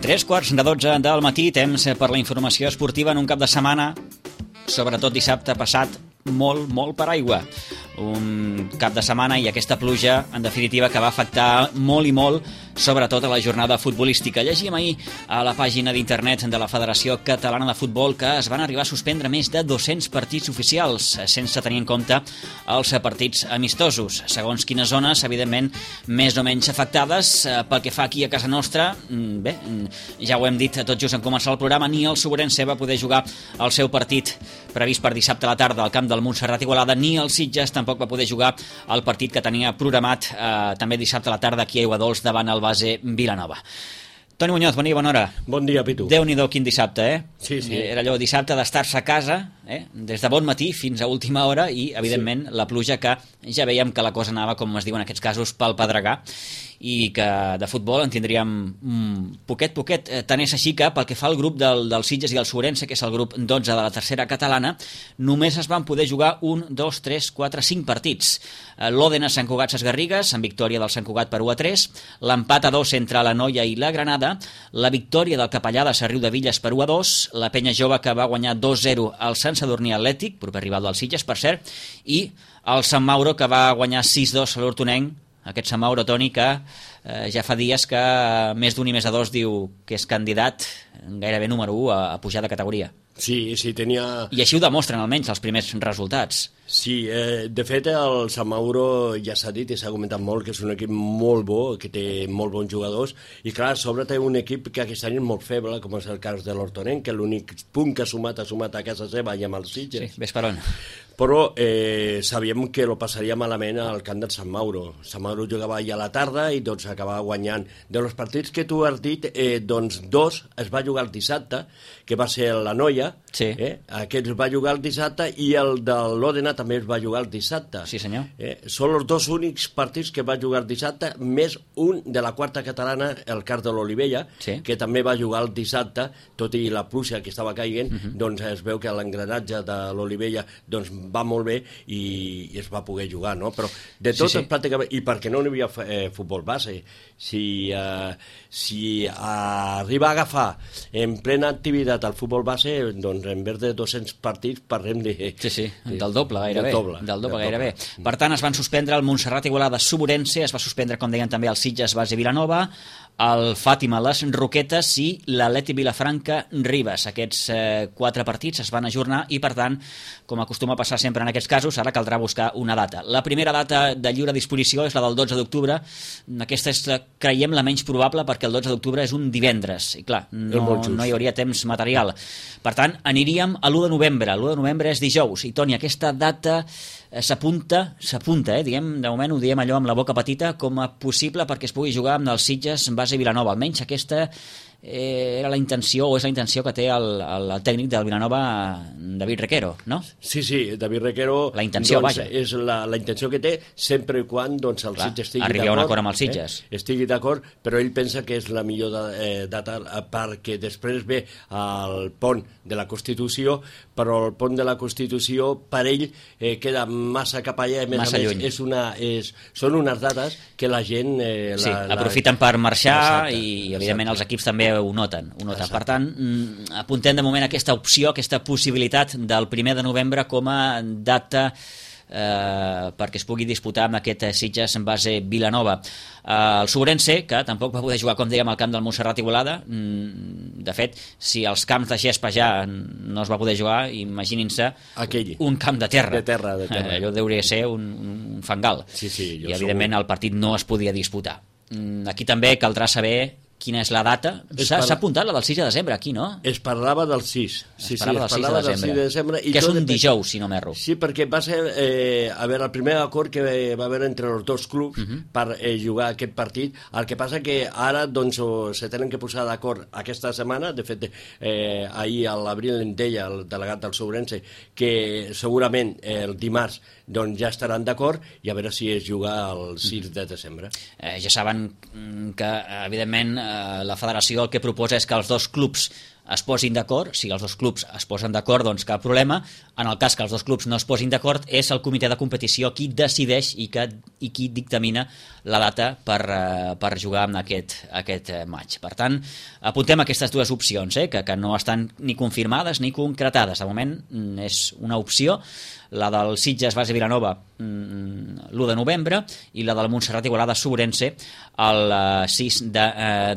3:45 del matí, temps per la informació esportiva en un cap de setmana, sobretot dissabte passat, molt per aigua. Un cap de setmana i aquesta pluja, en definitiva, que va afectar molt i molt, sobretot a la jornada futbolística. Llegíem ahir a la pàgina d'internet de la Federació Catalana de Futbol que es van arribar a suspendre més de 200 partits oficials, sense tenir en compte els partits amistosos. Segons quines zones, evidentment, més o menys afectades. Pel que fa aquí a casa nostra, bé, ja ho hem dit tot just en començar el programa, ni el Sobrense va poder jugar el seu partit previst per dissabte a la tarda al camp del Montserrat Igualada, ni el Sitges tampoc va poder jugar el partit que tenia programat també dissabte a la tarda aquí a Aiguadols davant el base Vilanova. Toni Muñoz, bon dia, bona hora. Bon dia, Pitu. Déu-n'hi-do quin dissabte, Sí. Era allò dissabte d'estar-se a casa, des de bon matí fins a última hora i, evidentment, la pluja que ja veiem que la cosa anava, com es diu en aquests casos, pel pedregar i que de futbol en tindríem poquet. Tant és així que, pel que fa al grup del Sitges i el Sobrense, que és el grup 12 de la tercera catalana, només es van poder jugar 1, 2, 3, 4, 5 partits. L'Òdena Sant Cugat Ses Garrigues, amb victòria del Sant Cugat per 1-3, l'empat a 2 entre la Noia i la Granada, la victòria del Capellà de Sarriu de Villes per 1-2, la Penya Jove que va guanyar 2-0 al Sant Sadurní Atlètic, proper rival del Sitges, per cert, i el Sant Mauro que va guanyar 6-2 a l'Hortonenc, aquest Sant Mauro, Toni, que ja fa dies que més d'un i més de dos diu que és candidat gairebé número 1 a pujar de categoria. Sí, tenia... I així ho demostren almenys els primers resultats. Sí, de fet el Sant Mauro ja s'ha dit i s'ha comentat molt que és un equip molt bo, que té molt bons jugadors i clar, a sobre té un equip que aquest any és molt feble, com és el cas de l'Hortonenc, que l'únic punt que ha sumat a casa seva i amb els Sitges. Sí, ves per on. Però sabíem que lo passaria malament al camp del Sant Mauro. Sant Mauro jugava ja a la tarda i doncs acabava guanyant. De los partits que tu has dit, doncs 2 es va jugar el dissabte, que va ser la Noia, sí. Aquest es va jugar el dissabte i el de l'Òdena també es va jugar el dissabte. Sí, senyor. Són els dos únics partits que va jugar el dissabte, més un de la quarta catalana, el cas de l'Olivella, sí. que també va jugar el dissabte, tot i la pluja que estava caient, doncs es veu que l'engranatge de l'Olivella doncs, va molt bé i es va poder jugar, no? Però de tot sí. Pràcticament, i perquè no hi havia futbol base, si arriba a agafar en plena activitat el futbol base, doncs en vez de 200 partits parlem de... Sí, del doble gairebé. Del doble gairebé. Per tant, es van suspendre el Montserrat Igualada Sobrense, es va suspendre, com deien també, el Sitges base Vilanova, el Fàtima les Roquetes i l'Atleti Vilafranca Ribes. Aquests 4 partits es van ajornar i, per tant, com acostuma a passar sempre en aquests casos, ara caldrà buscar una data. La primera data de lliure disposició és la del 12 d'octubre. Aquesta és, creiem, la menys probable perquè el 12 d'octubre és un divendres i, clar, no hi hauria temps material. Per tant, aniríem a l'1 de novembre. L'1 de novembre és dijous. I, Toni, aquesta data s'apunta, diguem, de moment ho diem allò amb la boca petita, com a possible perquè es pugui jugar amb els Sitges en base Vilanova. Almenys aquesta era la intenció, o és la intenció que té el tècnic del Vilanova, David Requero, no? Sí, David Requero... La intenció, doncs, vaja. És la intenció que té, sempre i quan doncs, el Sitges estigui d'acord. Arribi a un acord amb els Sitges. Estigui d'acord, però ell pensa que és la millor data perquè després ve el pont de la Constitució, però el pont de la Constitució per ell queda massa cap allà, massa lluny. Són unes dates que la gent... aprofiten per marxar. Exacte, i evidentment els equips també ho noten. Per tant, apuntem de moment aquesta opció, aquesta possibilitat del 1 de novembre com a data perquè es pugui disputar amb aquest Sitges en base Vilanova. El Sobrense, que tampoc va poder jugar, com dèiem, al camp del Montserrat Igualada. De fet, si als camps de gespa ja no es va poder jugar, imaginin-se un camp de terra. De terra. Allò hauria de ser un fangal. Sí, i evidentment el partit no es podia disputar. Aquí també caldrà saber quina és la data. S'ha apuntat la del 6 de desembre aquí, no? Es parlava del 6. Es parlava del 6 de desembre. Que és un dijous, si no m'erro. Sí, perquè va ser el primer acord que va haver entre els dos clubs per jugar aquest partit. El que passa que ara doncs, se tenen que posar d'acord aquesta setmana. De fet, ahir a l'Abril en deia el delegat del Sobrense que segurament el dimarts doncs, ja estaran d'acord i a veure si es juga el 6 de desembre. Ja saben que, evidentment, la federació el que proposa és que els dos clubs es posin d'acord. Si els dos clubs es posen d'acord, doncs cap problema. En el cas que els dos clubs no es posin d'acord, és el comitè de competició qui decideix i qui dictamina la data per jugar en aquest match. Per tant, apuntem aquestes dues opcions, que no estan ni confirmades ni concretades. De moment és una opció, la del Sitges Base Vilanova l'1 de novembre i la del Montserrat Igualada Sobrense el 6 de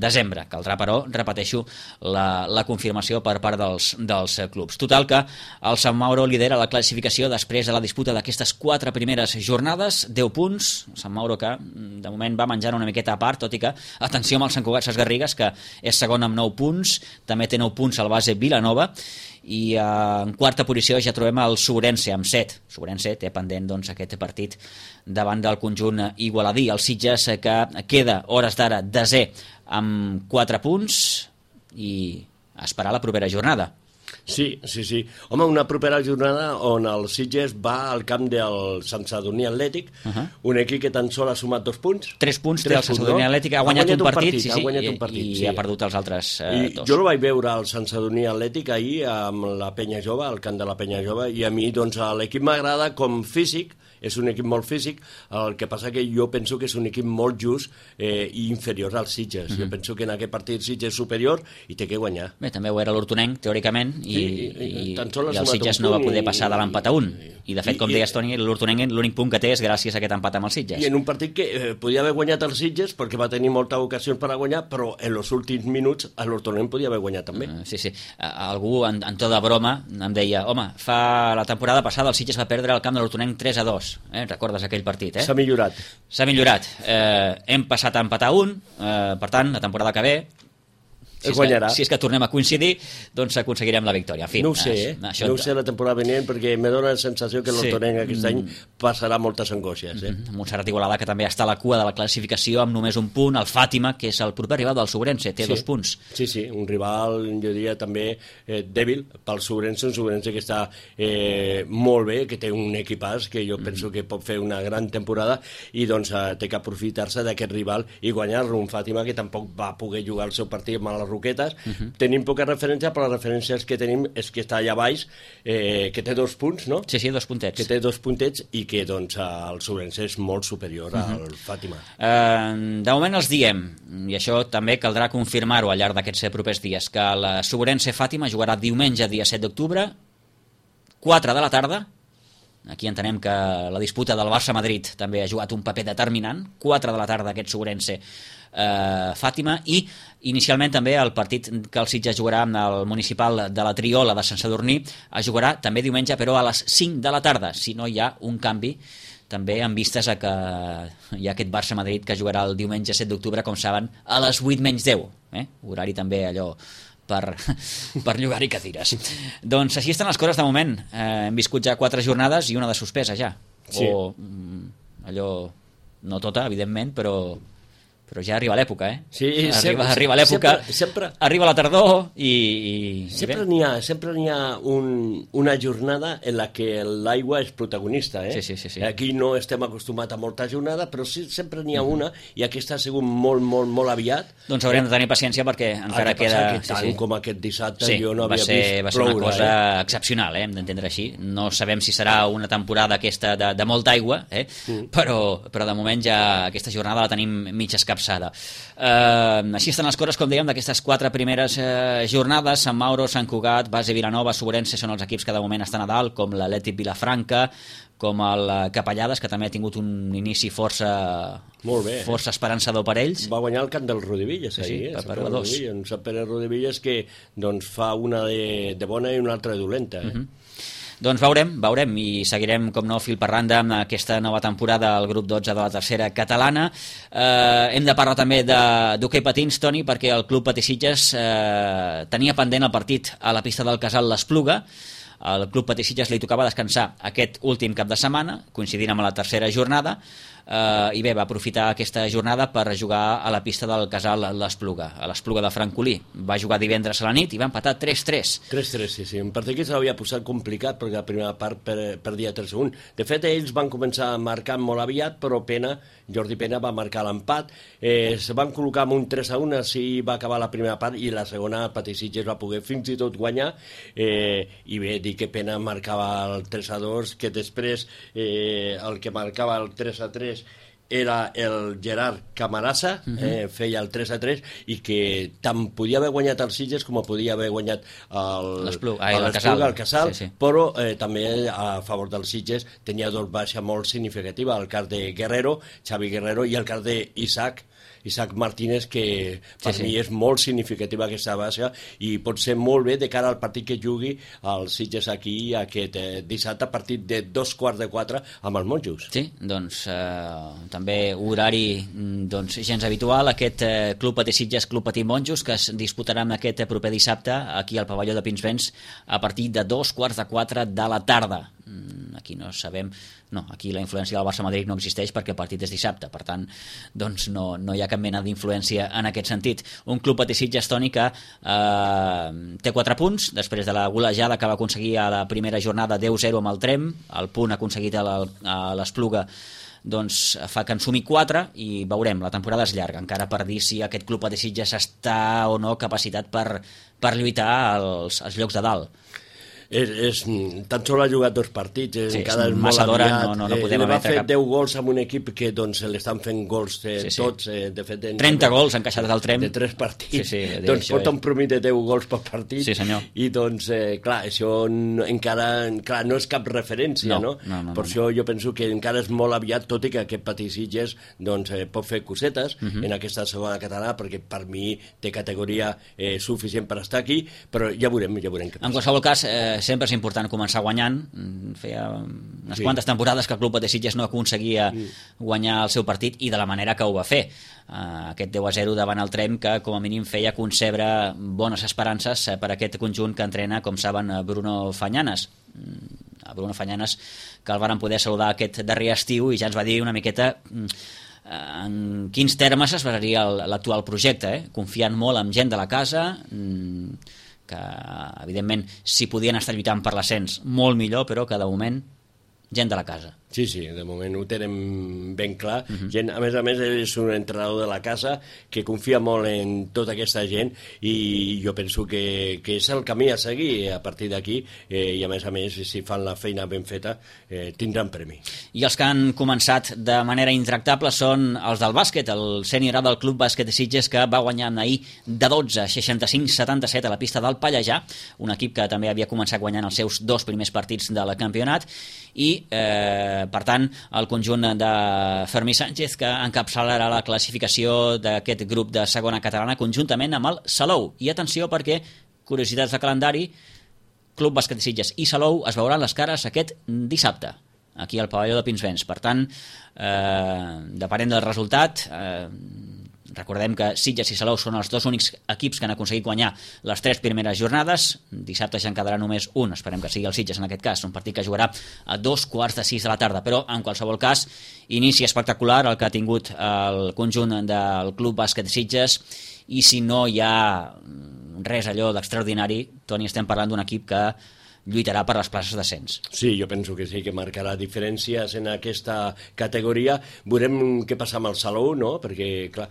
desembre. Caldrà, però, repeteixo, la confirmació per part dels clubs. Total que el Sant Mauro lidera la classificació després de la disputa d'aquestes 4 primeres jornades, 10 punts. Sant Mauro que de moment va menjant una miqueta a part, tot i que, atenció amb el Sant Cugat Sesgarrigues, que és segon amb 9 punts, també té 9 punts el Base Vilanova, i en quarta posició ja trobem el Sobrense amb 7. Sobrense té pendent doncs, aquest partit davant del conjunt igualadí. El Sitges que queda hores d'ara desè amb 4 punts i a esperar la propera jornada. Sí. Home, una propera jornada on el Sitges va al camp del Sant Sadurní Atlètic, un equip que tan sol ha sumat 2 punts. 3 punts té el Sant Sadurní Atlètic, ha guanyat un partit, i ha perdut els altres 2. Jo el vaig veure al Sant Sadurní Atlètic ahir amb la Penya Jove, al camp de la Penya Jove, i a mi doncs, l'equip m'agrada com físic, és un equip molt físic, el que passa que jo penso que és un equip molt just i inferior als Sitges. Jo penso que en aquest partit Sitges és superior i té que guanyar. Bé, també ho era l'Hortonenc, teòricament, i el Sitges no va poder passar de l'empat a 1. I de fet, com deies, Toni, l'Hortonenc l'únic punt que té és gràcies a aquest empat amb els Sitges. I en un partit que podia haver guanyat els Sitges perquè va tenir moltes ocasions per a guanyar, però en els últims minuts l'Hortonenc podia haver guanyat també. Sí. Algú, en to de broma, em deia, home, la temporada passada el Sitges va perdre el camp de l'Hortonenc 3-2. Recordes aquell partit, S'ha millorat. Hem passat a empatar 1, per tant, la temporada que ve, si és que tornem a coincidir, doncs aconseguirem la victòria. En fi, no ho sé, no ho sé la temporada venint, perquè me dóna la sensació que l'Hortonenc aquest any passarà moltes angoixes. Montserrat Igualada, que també està a la cua de la classificació amb només un punt, el Fàtima, que és el proper rival del Sobrense, té 2 punts. Sí, un rival, jo diria, també dèbil pel Sobrense, un Sobrense que està molt bé, que té un equipàs que jo penso que pot fer una gran temporada i doncs té que aprofitar-se d'aquest rival i guanyar-lo. Un Fàtima que tampoc va poder jugar el seu partit amb les Roquetes. Tenim poca referència, però les referències que tenim és que està allà baix, que té 2 punts, no? Sí, 2 puntets. Que té 2 puntets i que doncs el Sobrense és molt superior al Fàtima. De moment els diem, i això també caldrà confirmar-ho al llarg d'aquests propers dies, que el Sobrense Fàtima jugarà diumenge, dia 7 d'octubre, 4 de la tarda. Aquí entenem que la disputa del Barça-Madrid també ha jugat un paper determinant. 4 de la tarda aquest Sobrense Fàtima, i inicialment també el partit que el Sitges jugarà amb el municipal de la Triola de Sant Sadurní es jugarà també diumenge, però a les 5 de la tarda, si no hi ha un canvi també en vistes a que hi ha aquest Barça-Madrid que jugarà el diumenge 7 d'octubre, com saben, a les 8 menys 10, horari també allò per llogar-hi cadires. Doncs així estan les coses de moment. Hem viscut ja 4 jornades i una de suspesa ja. O allò, no tota, evidentment, però ja arriba l'època, Sí, arriba l'època, arriba la tardor i sempre n'hi ha una jornada en la que l'aigua és protagonista, Sí. Aquí no estem acostumats a molta jornada, però sí, sempre n'hi ha una, i aquesta ha sigut molt, molt, molt aviat. Doncs haurem de tenir paciència perquè encara queda... Tant com aquest dissabte jo no havia vist va ser una cosa excepcional, hem d'entendre així. No sabem si serà una temporada aquesta de molta aigua, però de moment ja aquesta jornada la tenim mig escapçada. Així estan les coses, com dèiem, d'aquestes 4 primeres jornades. Sant Mauro, Sant Cugat, Base Vilanova, Sobrense són els equips que de moment estan a dalt, com l'Atlètic Vilafranca, com el Capellades, que també ha tingut un inici força esperançador per ells. Va guanyar el camp del Rodivilles ahir, un Sant Pere Rodivilles que doncs, fa una de bona i una altra de dolenta. Doncs veurem i seguirem, com no, fil per randa amb aquesta nova temporada al grup 12 de la tercera catalana. Hem de parlar també d'hoquei patins, Toni, perquè el Club Patí Sitges tenia pendent el partit a la pista del Casal l'Espluga. Al Club Patí Sitges li tocava descansar aquest últim cap de setmana, coincidint amb la tercera jornada. i bé, va aprofitar aquesta jornada per jugar a la pista del Casal l'Espluga, a l'Espluga de Francolí. Va jugar divendres a la nit i va empatar 3-3. 3-3, sí. Un partit que s'havia posat complicat perquè la primera part perdia 3-1. De fet, ells van començar a marcar molt aviat, però Jordi Pena va marcar l'empat. Se van col·locar amb un 3-1, així va acabar la primera part i la segona el Patí-Sitges va poder fins i tot guanyar. I bé, dir que Pena marcava el 3-2, que després el que marcava el 3-3 era el Gerard Camarasa, feia el 3-3, i que tant podia haver guanyat el Sitges com podia haver guanyat el Casal, sí. Però també a favor del Sitges tenia dos baixes molt significatives, el cas de Guerrero, Xavi Guerrero, i el cas d'Isaac Martínez, que per mi és molt significativa aquesta baixa i pot ser molt bé de cara al partit que jugui el Sitges aquí aquest dissabte a partir de 3:15 amb els monjos. Sí, doncs també horari gens habitual, aquest Club Patí Sitges, Club Patí Monjos, que es disputarà aquest proper dissabte aquí al pavelló de Pinsbens a partir de 3:15 de la tarda. Aquí no sabem... No, aquí la influència del Barça-Madrid no existeix perquè el partit és dissabte, per tant doncs no hi ha cap mena d'influència en aquest sentit. Un Club Patí Sitges, Toni, que té 4 punts després de la golejada que va aconseguir a la primera jornada 10-0 amb el Trem. El punt aconseguit a l'Espluga doncs fa que en sumi 4 i veurem, la temporada és llarga encara per dir si aquest Club Patí Sitges està o no capacitat per lluitar als llocs de dalt. Tan sols ha jugat 2 partits, encara és molt aviat. No podem va fer 10 gols amb un equip que doncs l'estan fent gols tots, de fet 30 gols encaixats al Trem de 3 partits, doncs porta un promís de 10 gols per partit, i doncs clar, això encara no és cap referència, no? Per això jo penso que encara és molt aviat, tot i que aquest Patí Sitges doncs pot fer cosetes en aquesta segona catalana, perquè per mi té categoria suficient per estar aquí, però ja veurem què passa. En qualsevol cas, sempre és important començar guanyant. Feia unes quantes temporades que el Club Patí Sitges no aconseguia guanyar el seu partit i de la manera que ho va fer. Aquest 10-0 davant el Trem, que com a mínim feia concebre bones esperances per aquest conjunt que entrena, com saben, Bruno Fañanas. Bruno Fañanas, que el varen poder saludar aquest darrer estiu i ja ens va dir una miqueta en quins termes es basaria l'actual projecte, confiant molt en gent de la casa, que evidentment si podien estar lluitant per l'ascens molt millor, però que de moment gent de la casa. Sí, de moment ho tenen ben clar. Gent, a més, és un entrenador de la casa que confia molt en tota aquesta gent i jo penso que és el camí a seguir a partir d'aquí, i a més, si fan la feina ben feta, tindran premi. I els que han començat de manera intractable són els del bàsquet, el sènior A del Club Bàsquet Sitges, que va guanyar ahir de 12, 65-77 a la pista del Pallejà, un equip que també havia començat guanyant els seus 2 primers partits del campionat, i per tant el conjunt de Fermí Sánchez, que encapçalarà la classificació d'aquest grup de segona catalana conjuntament amb el Salou. I atenció, perquè curiositats de calendari, Club Bàsquet Sitges i Salou es veuran les cares aquest dissabte aquí al pavelló de Pinsbens. Per tant, depenent del resultat, recordem que Sitges i Salou són els 2 únics equips que han aconseguit guanyar les 3 primeres jornades. Dissabte ja en quedarà només un, esperem que sigui el Sitges en aquest cas, un partit que jugarà a 5:15 de la tarda, però en qualsevol cas inici espectacular el que ha tingut el conjunt del Club Bàsquet Sitges, i si no hi ha res allò d'extraordinari, Toni, estem parlant d'un equip que lluitarà per les places d'ascens. Sí, jo penso que sí, que marcarà diferències en aquesta categoria. Veurem què passa amb el Salou, no? Perquè, clar,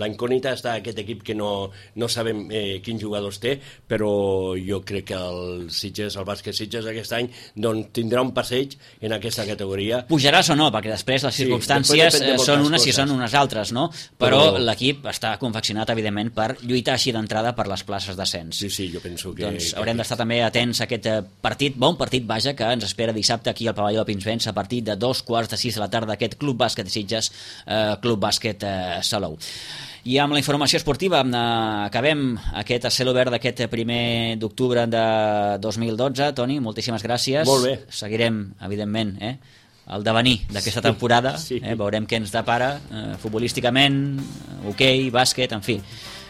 la incògnita està aquest equip que no sabem quins jugadors té, però jo crec que el Sitges, el bàsquet Sitges aquest any, doncs tindrà un passeig en aquesta categoria. Pujaràs o no, perquè després les circumstàncies són unes i són unes altres, no? Però l'equip està confeccionat, evidentment, per lluitar així d'entrada per les places d'ascens. Sí, jo penso que... Doncs haurem d'estar també atents a aquest partit, bon partit, vaja, que ens espera dissabte aquí al pavelló de Pinsbens a partir de 5:15 de la tarda, aquest Club Bàsquet Sitges, Club Bàsquet Salou. I amb la informació esportiva acabem aquest a cel obert d'aquest 1 d'octubre de 2012. Toni, moltíssimes gràcies. Molt bé. Seguirem, evidentment, el devenir d'aquesta temporada, veurem què ens depara futbolísticament, hoquei, bàsquet, en fi.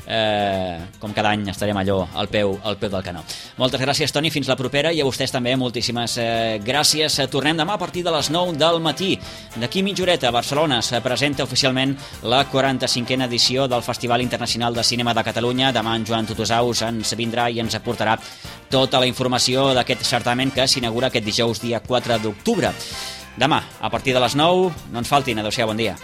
com cada any estarem allò al peu del canó. Moltes gràcies, Toni, fins la propera, i a vostès també moltíssimes gràcies. Tornem demà a partir de les 9 del matí. D'aquí mitja horeta a Barcelona se presenta oficialment la 45a edició del Festival Internacional de Cinema de Catalunya. Demà en Joan Tutusaus ens vindrà i ens aportarà tota la informació d'aquest certamen que s'inaugura aquest dijous dia 4 d'octubre. Demà, a partir de les 9, no ens faltin. Adéu-siau, bon dia.